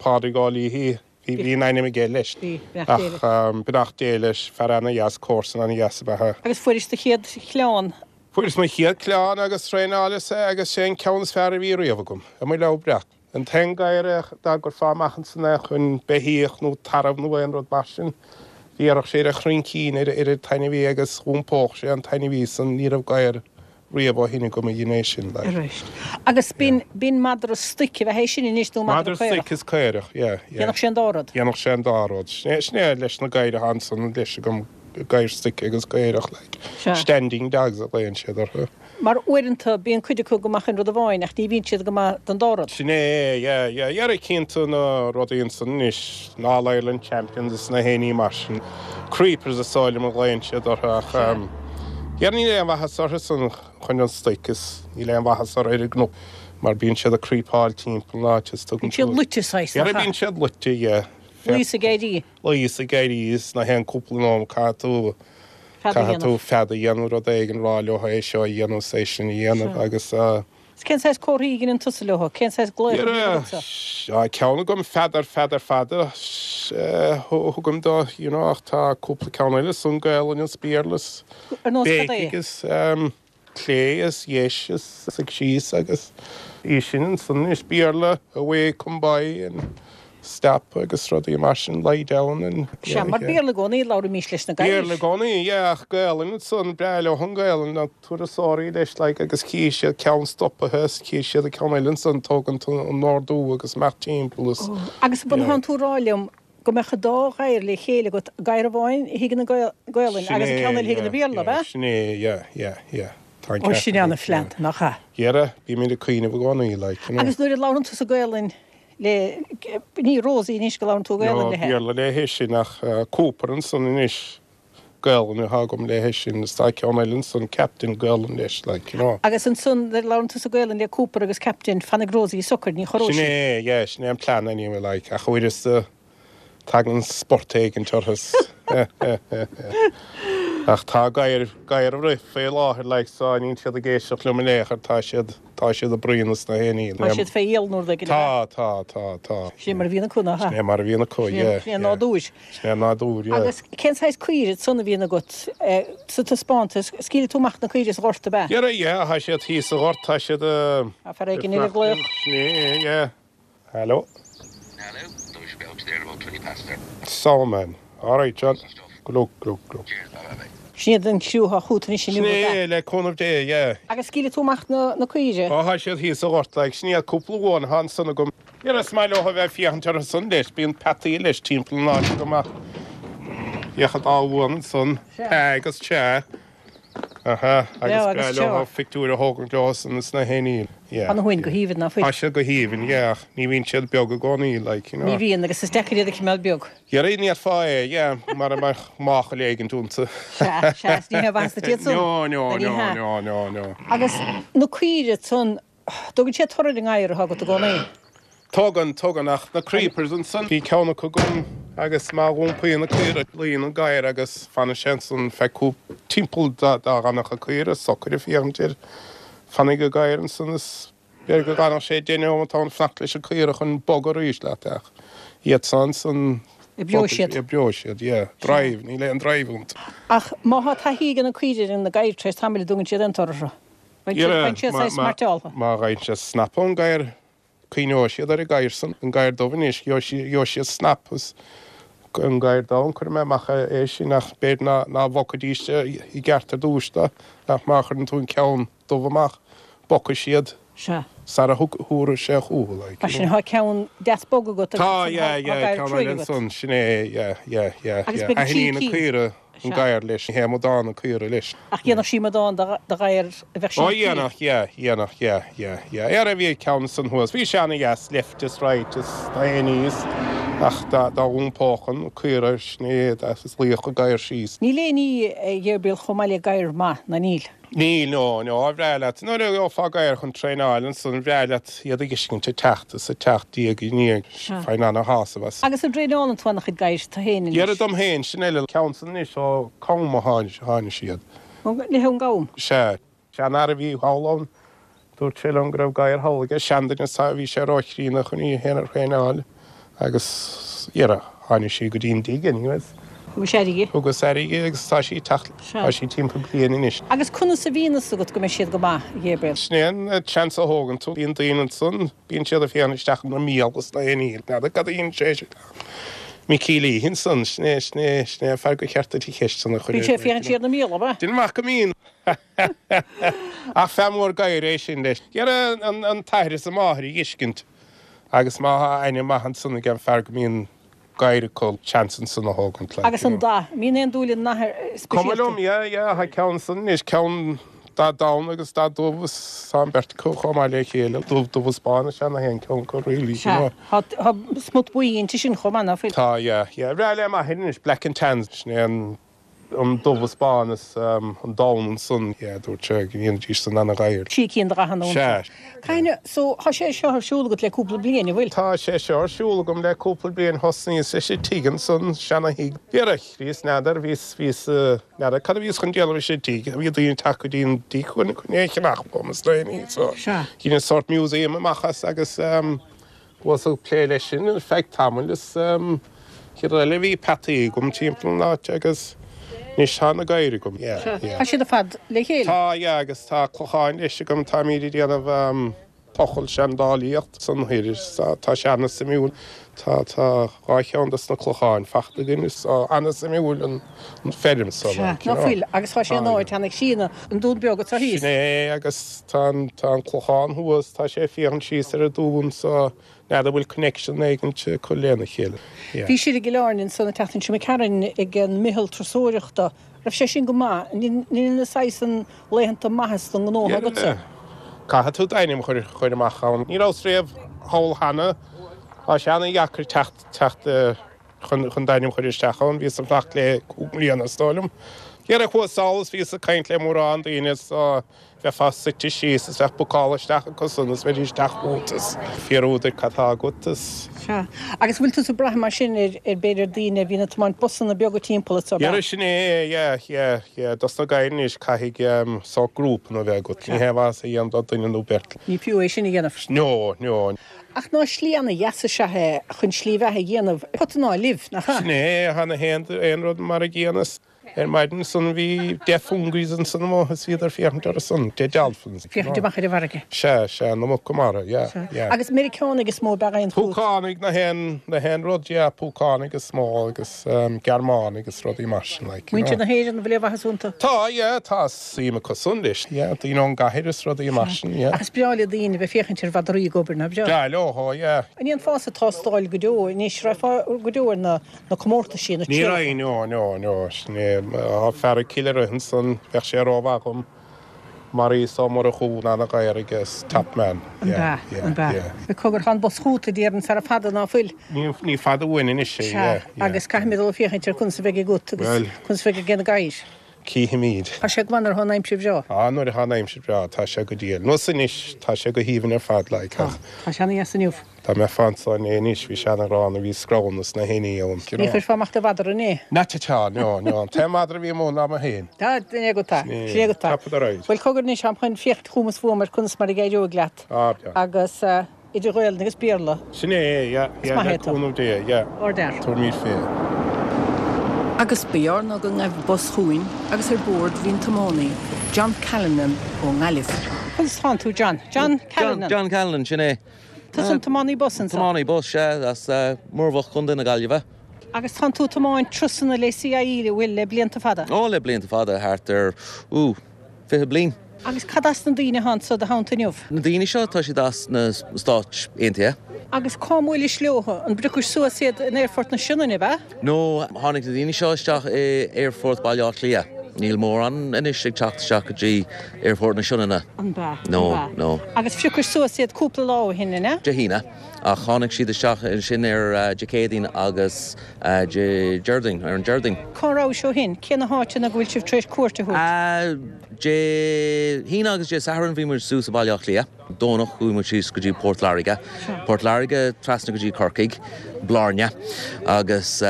Pádraig Ó Leahy. Bhí bhí an ainm aige leis. Bhí, beannacht Dé leis. Ach beannacht Dé leis, fear ana-dheas, comharsan ana-dheas ab ea é. Agus fuairis do chéad choileán? Fuaireas mo chéad choileán agus thraenáileas é agus sé an ceann is fearr a bhí riamh agam, i mo leabhar breac. An t-aon ghadhar é dá gcuirfeá amach ansan é chun beithíoch nó tarbh nó aon rud mar sin, bhéarfadh sé ar a chroincín ar an t-ainmhí agus dh'iompódh sé an t-ainmhí san, ní raibh gadhar riamh ó shin agam a dhein é sin, like. Arís. Agus b'in, b'in madra stoic a bheadh é sin anois nó madra Madra caorach? stoic is caorach, yeah, yeah. Dhéanfadh sé an dá rud? Dhéanfadh sé an dá rud. Sin é, sin é leis na gadhair atá ansan leis agam, gadhair stoic agus caorach, like. Sea. Standing dogs a ghlaonn siad orthu. Mar uaireanta bíonn cuid acu go maith chun rud amháin ach ní bhíonn siad go maith don dá rud. Sin é, yeah, yeah. Dhera cinnte na rudaí ansan anois, na All Ireland Champions is na héinní mar sin. Creepers is dóigh liom a ghlaonn siad orthu ach dhera níl aon mhaitheas orthu san chun an stoic is níl aon mhaitheas orthu ar an gcnoc mar bíonn siad ag creepáil timpeall an áit is tugann Bíonn siad luite saghas, Dhera nach ea? bíonn siad luite, yeah. Luí is ag éirí. Luí is ag éirí is na haon cúpla nóiméad caithfidh tú Fead a caithfidh tú dhéanamh. fead a dhéanamh rud éigin rá leo é seo a dhéanamh is é sin a dhéanamh Sea. agus eh, Is cén saghas comharthaí a dheineann tusa leo? Cén saghas glaoch a bhíonn agatsa? Tá ceann agam fead fead fada a thugaim dó, you know, ach tá cúpla ceann eile san Gaelainn is Béarla is Ar nós cad é? béicigh is clé is dheis is suigh síos agus í sin ansan is Béarla away come by and stop agus rudaí mar sin, lie down and Sea, mar Béarla i gcónaí a labhraímís leis na gadhair. Béarla i gcónaí, yeah, ach Gaelainn ansan, breá leo an Ghaelainn, na turasóirí leis like agus tchí siad ceann stopaithe is tchí siad an ceann eile ansan tógaint an ordú agus imeacht timpeall is Oh, agus an yeah. bhfuil tú ag rá liom go mbeadh an dá ghadhar le chéile agat, gadhar amháin a thuigeann an Ghaelainn Sin agus an é, ceann eile a thuigeann yeah, an Béarla, yeah, ab ea? sin é, yeah, yeah, yeah. Tá an Ó, ceart sin agat, ana-phlean, yeah. nach ea? Dhera, bímid ag cuimhneamh i gcónaí, like, you know. Agus nuair a labhrann tusa Gaelainn le, ní Rosie anois go labhrann tú Gaelainn No, léi. Béarla léi sin ach Cooper ansan anois, Gaelainn atá agam léi sin is tá ceann eile ansan Captain Gaelainn leis, like, you know. Agus ansan nuair a labhrann tusa Gaelainn le Cooper agus Captain, fanfaidh Rosie socair, ní chorróidh Sin sí. é, yeah, sin é an plean anyway, like, ach uaireanta tagann sport éigin orthu. Ach tá gadhair, gadhair ag rith fé láthair, like, so níl siad ag éisteacht liom in aon chor, tá siad, tá siad ag bruíon is na héinní. Tá siad fé iall nó rud éigin, Tá, tá, tá, tá. Sin é mar a bhíonn acu, nach ea? Sin é mar a bhíonn acu, Sin é, yeah, sin é yeah. nádúr. Sin é nádúr, yeah. Agus cén saghas caoire ansan a bhíonn agat sa taispeántas? Scaoilfidh tú amach na caoire sa ghort, ab ea? Yeah, yeah, tá siad thíos sa ghort, tá siad, eh, Tá fear éigin eile ag glaoch. Sin é, yeah. Hello? Hello, we should be out there about twenty past there. So man. All right, John. Good luck, good luck, good luck. Cheers, bye bye bye. Sin iad an criú atá chugat anois inniu, Sin ab ea? é, le cúnamh Dé, yeah. Agus scaoilfidh tú amach na, na caoire? Ó, tá siad thíos sa ghort, like, sin iad cúpla uan atá ansan agam. Yeah, is maith leo a bheith ag féachaint orthu san leis, bíonn peataí leis timpeall an áit go maith. Féach an dá uan ansan, Sea. Pea agus Sea. Aha, agus breá leo pictiúr a thógaint leo san sna héiníl. Yeah. Tá na huain go haoibhinn ná fuil? Tá siad go haoibhinn, yeah, ach ní bhíonn siad beag i gcónaí, like, you know. Ní bhíonn, agus is deacair iad a choimeád beag. Yeah, ní fhéadfá é, yeah, mara mbeadh máchail éigint iontu. Sea, sea, is ní hé mhaitheas duit iad san. No, no, no, no, no, no. Agus na caoire san, dtugann siad toradh ar an ngadhar atá agat i gcónaí? Tugann, tugann, ach na creepers ansan, bhí ceann acu agam agus má dh'iompaíonn na caoire, luíonn an gadhar agus fanann sé ansan feadh cúpla, timpeall dá bhfanfadh an caora socair ag féachaint air. Fanfaidh an gadhar ansan is b'fhéidir go gcanfadh sé deich neomat ann fanacht leis an caora chun bogadh arís leat ach iad san ansan Oibreoidh siad. Oibreoidh siad, yeah. Drive, níl aon drive iontu. Ach má thá taithí ag na caoire ar na gadhair tar éis tamaill an dtugann siad aon toradh orthu? Faigheann siad saghas mairteáltha. Má fhaigheann siad snap ón gadhar, Coinneoidh siad ar an gadhar san, an gadhar dubh anois, gheobhaidh siad snap as an gadhar donn, cuirfidh mé amach é sin ach b'fhéidir ná ná bogfaidís i gceart ar dtús dó, ach má chuireann tú an ceann dubh amach, bogfaidh siad Sea. sara thabharfaidh sé chucu, like, Mar sin, tá ceann deas bog agat agus Tá, tá yeah, yeah, gadhar ceann cruaidh eile agat. ansan, sin é, yeah, yeah, yeah, Agus yeah. beidh trí Aithníonn an cinn. caora An Sea. gadhar leis, ní hé amadán an caora leis. Ach dhéanfadh sí amadán de ghadhar a bheadh Ó sí ag dhéanfadh, yeah, dhéanfadh, yeah, yeah, yeah. Ara bhí ceann ansan thuas, bhí sé ana-dheas, left is right is na héinní is, ach dá dá dh'iompódh an caora sin é, is luífeadh an gadhar síos. Níl aon ní, a Ghabriel, chomh maith le gadhar maith, ná níl? Níl, no, no, ar bhreá leat, nuair a gheofá gadhar chun traenáil ansan, an bhreá leat iad a fheiscint ag teacht is ag teacht diaidh i ndiaidh, faighinn ana-shásamh as. Agus an dtraenálann tú an-chuid gadhair tú féin anois? Dhera dom féin, sin eile, ceann san anois ó Com a tháinig siad. Ní hé ón gCam? Sea. Seanfhear a bhí thall ann, dúirt sé liom go raibh gadhar thall aige, seanduine is bhí sé róchríonna chun í féin a thraenáil agus, dhera, tháinig sí go dtí an dtigh anyways. Thugais aire dhi. Thugas aire dhi agus tá sí ag teacht, tá sí timpeall bliain anois. Agus conas a bhíonn fhios agat go mbeidh siad go maith, a Ghabriel? Sin é an seans a thógann tú. Bíonn daoine ansan, bíonn siad ag féachaint isteach ina mbéal is na haon ní. N'fheadar cad a dhein sé sin. Micí Lee ansan, sin é, sin é, sin é an fear gur cheart duit an cheist san a chur Bíonn sé ag féachaint siar ina mbéal, ab ea? Déanaim amach go mbíonn. Ach fear mór gadhar é sin leis. Dhera an t-athair is an mháthair a dh'fheiscint agus má thá ainm maith ansan ag an fear go mbíonn gadhair acu seans ansan a thógaint like, Agus an dath, an mbíonn aon dúil i ndath Cuma speisialta? liom, yeah, yeah, thá ceann ansan anois, ceann dath donn agus dath dubh is tá an bheirt acu chomh maith le chéile, dubh, dubh is bán is ea na haon ceann acu really, you Sea, know. thá, thá smut buí inti sin chomh maith, ná fuil? Tá, yeah, yeah. Bhreá le m'athair anois, black and tans, sin é an an dubh is bán is an donn ansan, yeah, dúirt sé go ndéanfaidís san ana-ghadhar. Trí cinn de dhathanna iontu. Sea. Caithfidh, so, thá sé seo ar siúl agat le cúpla bliain, an bhfuil? Tá sé seo ar siúl agam le cúpla bliain, thosnaíos leis an tigh ansan, seana-thigh. Dhera, bhíos, n'fheadar, bhíos, bhíos, n'fheadar cad a bhíos chun déanamh leis an tigh, bhí daoine ag teacht go dtí an tigh chun, chun é a cheannach uaim is na héinní, so, Sea. dheineas sórt museum amach as agus, Bhíos ag plé leis sin ar feadh tamaill is chéad rud eile bhí peataí agam timpeall an áit agus anois tá na gadhair agam. Yeah, yeah. Tá siad ar fad le chéile? Tá, yeah, agus tá clocháin leis agam, táimid ag déanamh tochailt seandálaíocht san thoir is tá sé ana-suimiúil. Tá, tá dhá cheann dos na clocháin fachta againn is tá ana-suimiúil an feirm so Sea, like, ná you know. fuil, agus tá sé in áit ana chríonna, an Dún Beag atá thíos. Sin é, agus tá an, tá an clochán thuas, tá sé ag féachaint síos ar an dún so n'fheadar an bhfuil connection éigint acu lena chéile. Yeah. Bhí sibh i gCill Airne ansan an tseachtain seo imigh tharainn ag an Meitheal Turasóireachta. Raibh sé sin go maith? An in na saghas an laethanta maitheas don ngnó Yeah. agatsa? Caithfidh tú d'ainm a chur, chur amach ann. Ní rabhas riamh thall cheana. Tá sé ana-dheacair teacht, teacht chun, chun d'ainm a chur isteach ann. Bhíos ag fanacht le cúig mbliana is dóigh liom. Dhera chuas sall is bhíos ag caint le mórán daoine is bheifeá suite síos is bheadh bookáil isteach acusan is bheidís ag teacht chugat is fiafraí díot cad tá agat is. Sea. Agus bhfuil tusa ag brath mar sin ar, ar b'fhéidir daoine a bhíonn ag tiomáint busanna beaga timpeall is Dhera sin é, yeah, yeah, yeah. Dos na gadhair anois caithfidh sórt grúpanna a bheith agat. Ní haon mhaitheas a dhéanamh do dhuine nó beirt. Ní fiú é sin a dhéanamh. No, no. Ach ná slí ana-dheas is ea é chun slí bheatha a dhéanamh, pota ná luibh, nach ea? Sin é, chan aon rud mar a gcéanna. Ar maidin ansan bhí deich fungies ansan amuigh is bhíodar féachaint orthu san, deich dolphins. Féachaint amach ar an bhfarraige. Sea, sea, na muca mara, yeah, yeah. Agus Meiriceánaigh is mó ab ea a thagann chugat? Púcánaigh na haon, na haon rud, yeah, púcánaigh is mó agus Gearmánaigh agus rudaí mar sin, like, you know. Muintir na hÉireann, an bhfuil aon mhaitheas iontu? Tá, yeah, tá suim acu san leis, yeah, daoine ón gcathair is rudaí mar sin, yeah. Ach is breá le daoine bheith féachaint ar mhadraí ag obair, nach breá? Breá leo, oh yeah. An ndéanfása tástáil go deo anois, raghfá go deo ar na na comórtaisí, na Ní trialacha? raghainn, no, no, no, sin é, é. Tá fear i gCill Airne ansan, bheadh sé rómhaith dhom. Maurice Ó Murchú ná na gadhair agus top man. An b'ea, an b'ea. Cogar tá an bus chugat a déarfainn sara fada ná fuil. Ní fada uainn anois é, yeah, yeah. Agus caithfimid dul ag féachaint ar conas a bheidh agat agus conas a bheidh ag na gadhair. Cífimid. Tá sé go maith nuair atá an aimsir bhreá. Á, nuair atá an aimsir bhreá, tá sé go diail. Nós anois, tá sé go haoibhinn ar fad, like, ach. Tá sé ana-dheas inniu. Dá mbeifeá anso inné anois, bhí sé ana-ghránna, bhí scrabhanna sna héinní ann. Ní chuirfeá amach do mhadra inné? Not at all, no, no. An t-aon mhadra a bhí amuigh ná mé féin. Tá, sin é agat é. Sin é agat é. Top of the ride. Bhuel, cogar anois, táim chun féachaint chugam is fúm ar conas mar a d'éireoidh leat. Á, breá. Agus idir Ghaelainn agus Béarla. Sin é, yeah, yeah, le cúnamh Dé, yeah. Ardfhear. Tabharfaimid fé. Agus ba ghearr ná go ngaibh bus chugainn agus ar bord bhí an tiománaí, John Callanan ó nGaillimh. Conas tánn tú, John? John Callanan. John Callanan, sin é. Tusa an tiománaí bus anso? Tiománaí bus, sea, as Muirbheach, Contae na Gaillimhe. Agus tánn tú ag tiomáint turasanna le CIE, an bhfuil, le blianta fada? Ó, le blianta fada, thart ar, ooh, fiche bliain. Agus cad as na daoine atá anso i do theannta inniu? Na daoine seo, tá siad as na Stáit Aontaithe. Agus cá mbuailis leo? An bpriocais suas iad in Aerfort na Sionainne, ab ea? No, tháinig na daoine seo isteach i Aerfort Baile Átha Cliath. Níl mórán anois ag teacht isteach go dtí Aerfort na Sionainne. An b'ea? No, An b'ea? no. Agus phriocais suas iad cúpla lá ó shin, an ea? Dé hAoine. Ach tháinig siad isteach ansin ar Dé Céadaoin agus Dé Déardaoin, ar an Déardaoin. Cá rabhais ó shin? Cé na háiteanna go bhfuil sibh tar éis cuairt a thabhairt? Dé hAoine agus Dé Sathairn bhí muid suas i Baile Átha Cliath. Domhnach chuaigh muid síos go dtí Port Láirge. Port Láirge trasna go dtí Corcaigh, Blarney agus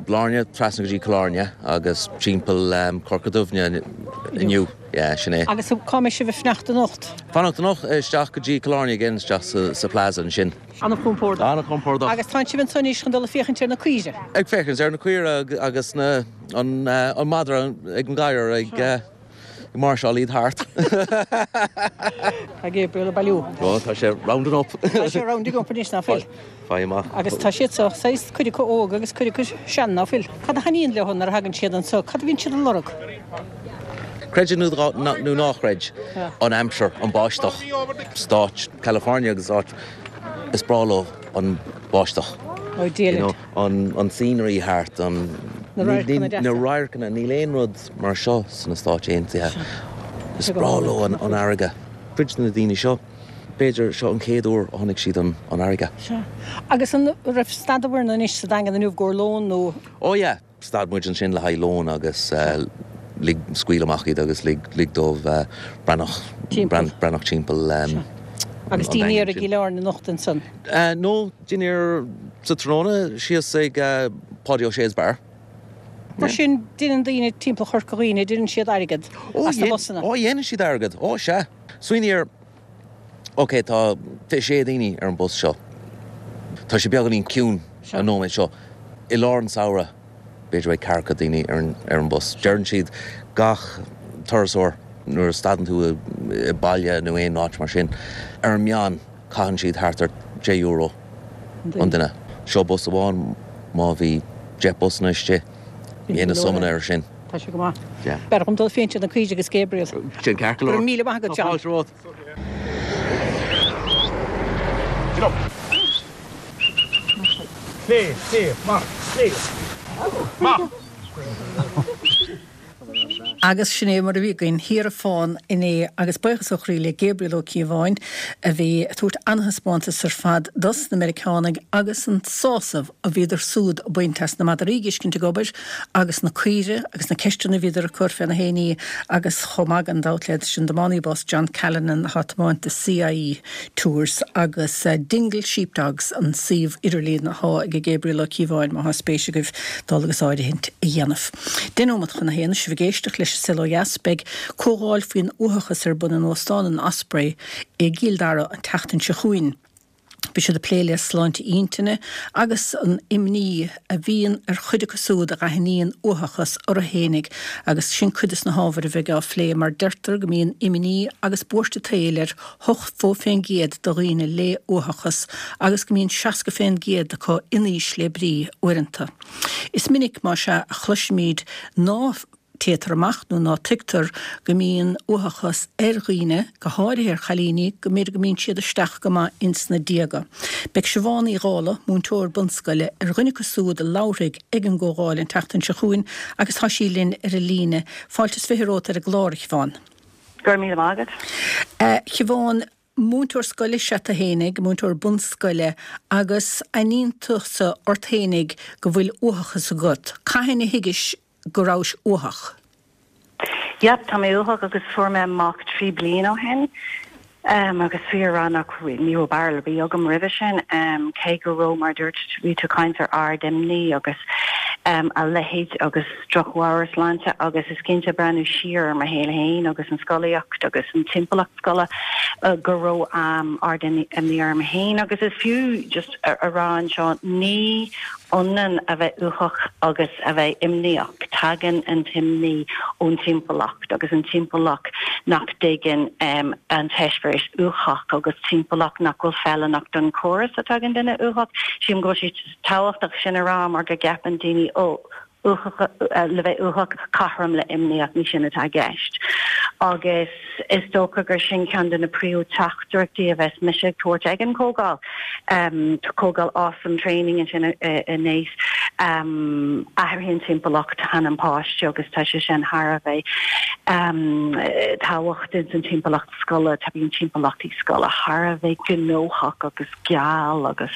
Blarney trasna go dtí Cill Airne agus timpeall Corca Dhuibhne inniu. Yeah, sin é. Agus cá mbeidh sibh ag fanacht anocht? Fanacht anocht isteach go dtí Cill Airne again, isteach sa, sa Plaza ansin. An-chompordach. An-chompordach. Agus tánn sibh anso anois chun dul ag féachaint ar na caoire? Ag féachaint ar na caoire agus na, an, an madra ag an gadhar ag, ag máirseáil iad thart. Tá Gabriel ag bailiú. Ó, tá sé rounding up. Tá sé rounding up anois, ná fuil? Faigh amach. Agus tá siad so, saghas, cuid acu óg agus cuid acu sean, ná fuil? Cad a thaitníonn leo nuair a thagann siad anso? Cad a bhíonn siad ag lorg? Creid é nó ná chreid, an aimsir, an báisteach. Stáit California agus áit is breá leo an báisteach. Oh, You know, an, an scenery thart, an, Na radharcanna deasa. na radharcanna, níl aon rud mar seo sna Stáit Aontaithe. Is breá leo an, an fharraige. Cuid de na daoine seo, b'fhéidir seo an chéad uair a chonaic siad an, an fharraige. Sea. Agus an raibh stadabhair anois sa Daingean inniu i gcomhair lón nó? Oh yeah, stad muid ansin le haghaidh lón agus uh, lig scaoil amach iad agus lig, lig dóibh uh, breathnach Timpeall. breathnach timpeall um, Agus an dinnéar Daingean ag sin. Cill Airne anocht ansan. Uh, no, dinnéar sa tráthnóna síos ag uh, Páidí Ó Sé's Bar. Mar sin déanann daoine timpeall Chorca Dhuibhne, déanann siad airgead as na busanna. Ó, dhéanann siad airgead. Ó, sea. Smaoinigh ar, ok, tá fiche sé daoine ar an bus seo. Tá sé beagáinín ciúin an nóiméad seo. I lár an samhradh, b'fhéidir beidh ceathracha daoine ar an, ar an bus. Deireann siad gach turasóir nuair a stadann tú i, i baile nó aon áit mar sin, ar an meán caitheann siad thart ar deich euro an duine. Seo bus amháin má bhí deich busanna istigh, dhéanamh sumanna ar sin. Tá sé go maith. Yeah. B'fhearr dom dul féachaint ar na caoirigh agus Gabriel. Sin ceart go Go leor. raibh míle maith agat, John. Tá fáilte romhat. Clé, clé, amach, clé. Amach. Agus sin é mar a bhí againn thiar i Fán inné agus buíochas ó chroí le Gabriel Ó Cíobháin a bhí ag tabhairt an-taispeántas ar fad dos na Meiriceánaigh agus an sásamh a bhíodar súd ag baint as na madraí a fheiscint ag obair agus na caoire agus na ceisteanna a bhíodar ag cur fé na héinní agus chomh maith gan dabht leis an tiománaí bus John Callanan atá ag tiomáint do CIE Tours agus uh, Dingle Sheepdogs an suíomh idirlín atá ag Gabriel Ó Cíobháin má tá spéis agaibh dul agus áirithint a dhéanamh. Deich nóiméad chun a haon sibh ag éisteacht leis an Saol Ó Dheas beidh comhdháil faoin uathachas ar bun in Óstán an Osprey i gCill Dara an tseachtain seo chugainn. Beidh siad ag plé le sláinte intinne agus an imní a bhíonn ar chuid acu siúd a aithníonn uathachas orthu fhéinig agus sin cuid de na hábhair a bheidh á phlé mar deirtear go mbíonn imní agus buairt an tsaoil ar hochtó faoin gcéad de dhaoine le uathachas agus go mbíonn seasca faoin gcéad acu in ísle brí uaireanta. Is minic mar sea a chloisimid ná téitear amach nó ná tuigtear go mbíonn uathachas ar dhaoine, go háirithe ar chailíní, go mb'fhéidir go mbíonn siad isteach go maith ins na déaga. Beidh Siobhán Uí Dhálaigh, múinteoir bunscoile, ar dhuine acu siúd a labharfaidh ag an gcomhdháil an tseachtain seo chugainn agus tá sí linn ar an líne. Fáilte is fiche romhat ar an gclár, a Shiobhán. Go raibh míle maith agat. A Shiobhán, múinteoir scoile is ea tú fhéinig, múinteoir bunscoile, agus aithníonn tusa ort fhéinig go bhfuil uathachas agat. Cathain a thuigis go rabhais uathach? Yep, tá mé uathach agus fuair mé amach trí bliain ó shin. Um, agus fíor a rá nach ní raibh barúil ar bith agam roimhe sin, um, cé go raibh mar dúirt bhí tú caint ar ard-imní agus um, a leithéid agus drochmheabhairshláinte agus is cinnte breathnú siar ar mo shaol féin agus an scolaíocht agus an timpeallacht scoile uh, go raibh um, ard-imní orm féin agus is fiú just a, a rá anseo ní ionann a bheith uathach agus a bheith imníoch. Tagann an t-imní ón timpeallacht agus an timpeallacht nach dtuigeann um, an t-eispéireas uathach agus timpeallacht nach bhfuil feiliúnach don chóras atá ag an duine uathach. Sílim go bhfuil sé tábhachtach sin a rá mar go gceapann daoine ó le bheith uathach cothrom le imníoch ní sin atá i gceist. Agus is dócha gur sin ceann de na príomh-teachtaireachtaí a bheas mise ag tabhairt ag an comhdháil. Um, comhdháil awesome training ansin in Naas um, athraíonn timpeallacht an páiste agus tá sé sin thar a bheith um, tábhachtach san timpeallacht scoile tá bíonn timpeallachtaí scoile thar a bheith gnóthach agus geal agus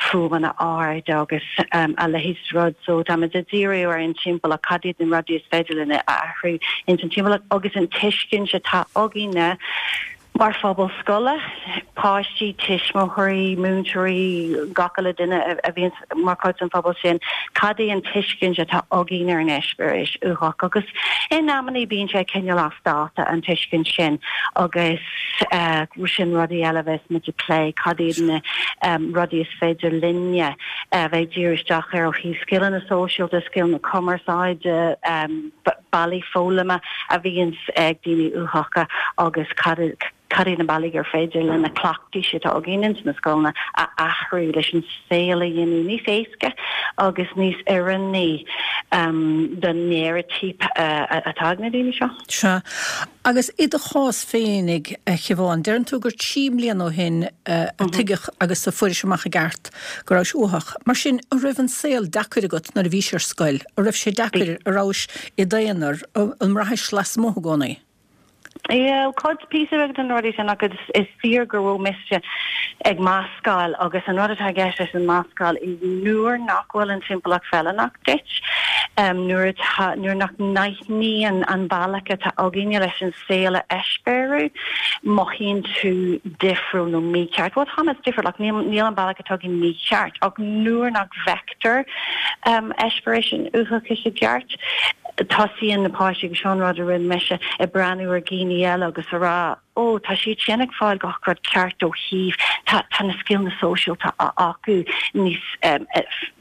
fuaimeanna arda agus um, a leithéid rud so tá muid ag díriú ar an timpeallacht cad iad na rudaí is féidir linn a athrú in san timpeallacht agus an tuiscint atá againne mar phobal scoile, páistí, tuismitheoirí, múinteoirí, gach uile duine a bhíonn mar chuid den phobal sin, cad é an tuiscint atá againn ar an eispéireas uathach agus in amannaí bíonn sé cineál as dáta an tuiscint sin agus uh, sin rudaí eile bheas muid ag plé cad iad na um, rudaí is féidir linne uh, bheith díriú isteach ar ó thaobh scileanna sóisialta, scileanna cumarsáide, um, bealaí foghlama a bhíonn ag daoine uathacha agus cad cad iad na bealaí gur féidir lena cleachtaí atá againn ins na scoileanna a athrú leis an saol a dhéanamh níos éasca agus níos oiriúnaí um, don néiritíp uh, atá ag na daoine seo. Sea. Agus i do chás féinig a Shiobhán, deireann tú gur trí mbliana ó shin uh, a tuigeadh agus a fuairis amach i gceart go rabhais uathach. Mar sin an raibh an saol deacair agat nuair a bhís ar scoil, an raibh sé deacair an rabhais i d'aonar an mbraithis lasmuigh i gcónaí. Yeah, cuid píosa beag den rudaí sin agus is fíor go raibh mise ag mascáil agus an rud atá i gceist leis an mascáil i nuair nach bhfuil an timpeallacht feiliúnach duit um, nuair atá nuair nach n-aithníonn an bealach atá againne leis an saol a eispéiriú mothaíonn tú difriúil nó mícheart. Well tá difriúil like, níl níl an bealach atá againn mícheart ach nuair nach bhfeictear um, eispéireas an uathachais i gceart tosaíonn na páistí agus sin rud a rinne mise ag breathnú ar dhaoine eile agus a rá ó tá siad sin ag fáil gach rud ceart ó thaobh tá tá na scileanna sóisialta acu níos um,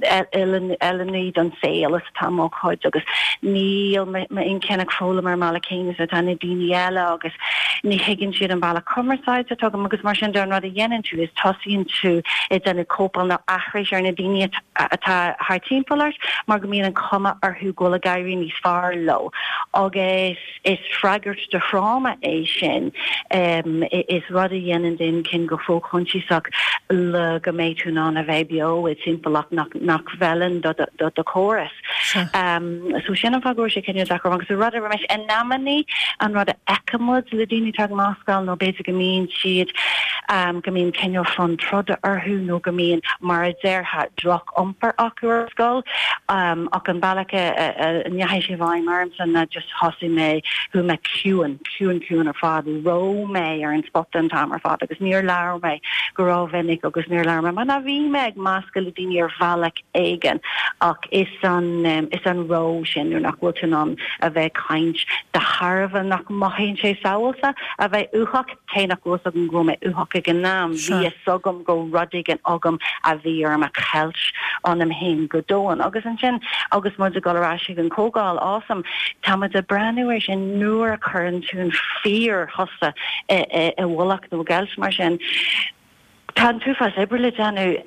oiriúnaí don saol is atá mo chuid agus níl m'inchinn ag foghlaim ar an mbealach céanna is atá na daoine eile agus ní thuigeann siad an bealach cumarsáide atá agam agus mar sin de an rud a dhéanann tú is tosaíonn tú ag déanamh cóipeáil nó aithris ar na daoine atá thar timpeall ort mar go mbíonn an cuma orthu go bhfuil ag éirí níos fearr leo agus is freagairt do thráma é sin um, is rud a dhéanann d'inchinn go fo-choinsiasach le go mbeidh tú in ann a bheith beo i timpeallacht nach, nach bhfeileann do, do, do chóras. Um, so sin an fáth go sé cineál deacair agus rud a meis in amannaí an rud a fheicimid le daoine atá ag mascáil nó b'fhéidir go mbíonn siad um, go mbíonn cineál fonn troda orthu nó go mbíonn mar a déarfá drochiompar acu ar scoil um, ach an bealach a ndeachaigh sé i bhfeidhm ormsa ná just thosaigh mé chuaigh mé ciúin ciúin ciúin ar fad raibh mé ar an spota an t-am ar fad agus níor labhair mé go rómhinic agus níor labhair mé mar bhí mé ag meascadh le daoine ar bhealach éigin ach is an um, is an ró sin nuair nach bhfuil tú in ann a bheith caint de thairbhe nach mothaíonn sé sábháilte a bheith uathach cé nach bhfuil agam go mé uathach ag an am bhí fhios agam go rud éigin agam a bhí orm a cheilt ionam féin go domhain agus ansin agus muid ag dul ar ais ag an comhdháil awesome táimid ag breathnú ar sin nuair a chuireann tú an fíor thusa i bhfolach nó geilt mar sin. Tá an t-uafás oibre le déanamh,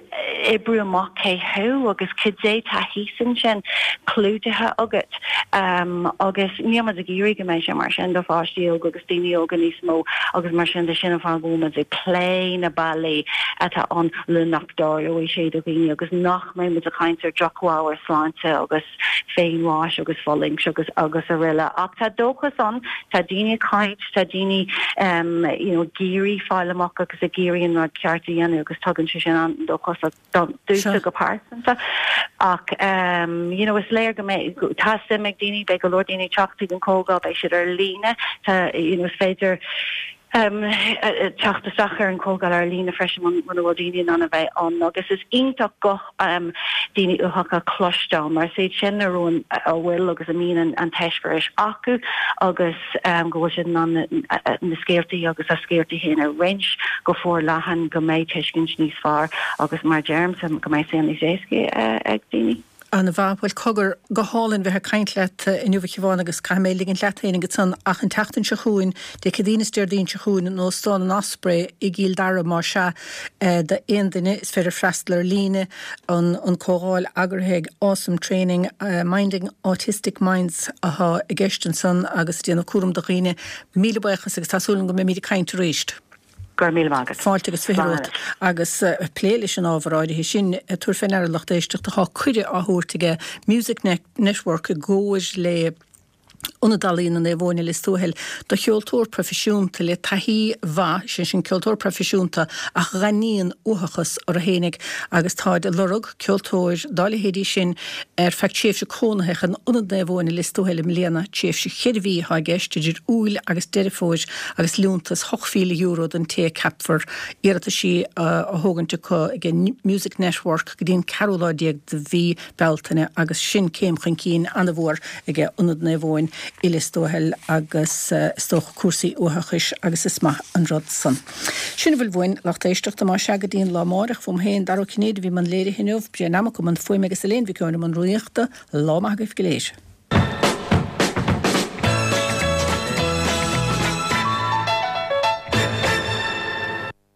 oibriú amach cé thú agus cad é tá thíos ansin clúdaithe agat agus níl muid ag iarraidh go mbeidh sé mar sin do pháistí óga agus daoine óga níos mó agus mar sin de sin an fáth go bhfuil muid ag plé na bealaí atá ann le nach dtarlóidh sé do dhaoine agus nach mbeidh muid ag caint ar droch-ábhair sláinte agus féinbháis agus fulaingt agus agus araile. Ach tá dóchas ann, tá daoine ag caint, tá daoine um, you know, ag iarraidh fáil amach agus ag iarraidh an rud ceart a dhéanamh agus tugann sé sin an-dóchas domsa go pearsanta. Ach um, you know, is léir go mbeidh tá suim ag daoine, beidh go leor daoine ag teacht chuig an comhdháil, beidh siad ar líne, tá you know, is féidir um, teacht isteach ar an comhdháil ar líne freisin muna bhfuil daoine in ann a bheith ann agus is iontach guth um, daoine uathacha a chloisteáil mar is iad sin a rún a bhfuil agus a mbíonn an, an t-eispéireas acu agus um, go bhfuil siad in ann na scéaltaí agus a scéaltaí féin a roinnt go forleathan go mbeidh tuiscint níos fearr agus mar deirimse go mbeidh saol níos éasca uh, ag daoine. An-mhaith. Bhuel, cogar, go hálainn bheith ag caint leat inniu a Shiobhán agus caithfidh mé ligint leat féin ansan ach an tseachtain seo chugainn, Dé Céadaoin is Déardaoin seo chugainn in Óstán an Osprey i gCill Dara más ea d'aon duine is féidir freastal ar líne an an comhdháil eagraithe ag Awesome Training Minding Autistic Minds atá i gceist ansan agus déanamh cúram do dhaoine. Míle buíochas agus tá súil agam go mbeimid ag caint arís. Go raibh míle maith agat. Fáilte agus fiche romhat agus plé leis an ábhar áirithe sin, tabhair fé ndeara lucht éisteachta tá cuireadh á thabhairt aige Music Network i gcomhar le Ionad Ealaíona Naomh Eoin i Lios Tuathail do cheoltóir proifisiúnta le taithí mhaith, sé sin ceoltóir proifisiúnta ach a dh'aithníonn uathachas orthu fhéinig agus táid ag lorg ceoltóir dá leithéidí sin ar feadh tréimhse cónaitheach in Ionad Naomh Eoin i Lios Tuathail i mbliana, tréimhse cheithre mhí atá i gceist idir Iúil agus Deireadh Fómhair agus liúntas hocht mhíle euro don té a ceapfar. Iarrataisí á thógaint acu ag Music Network go dtí an ceathrú lá déag de mhí Bealtaine agus sin céim chun cinn an-mhór ag Ionad Naomh Eoin i Lios Tuathail agus is dócha cúrsaí uathachais agus is maith an rud san. Sin a bhfuil uainn, lucht éisteachta, más ea go dtí an lá amárach fúm féin, Dara Ó Cinnéide a bhí i mbun léirithe inniu, Brian Nammock i mbun fuaime agus Elaine Mhic Eoin i mbun rúnaíochta, lá maith agaibh go léir.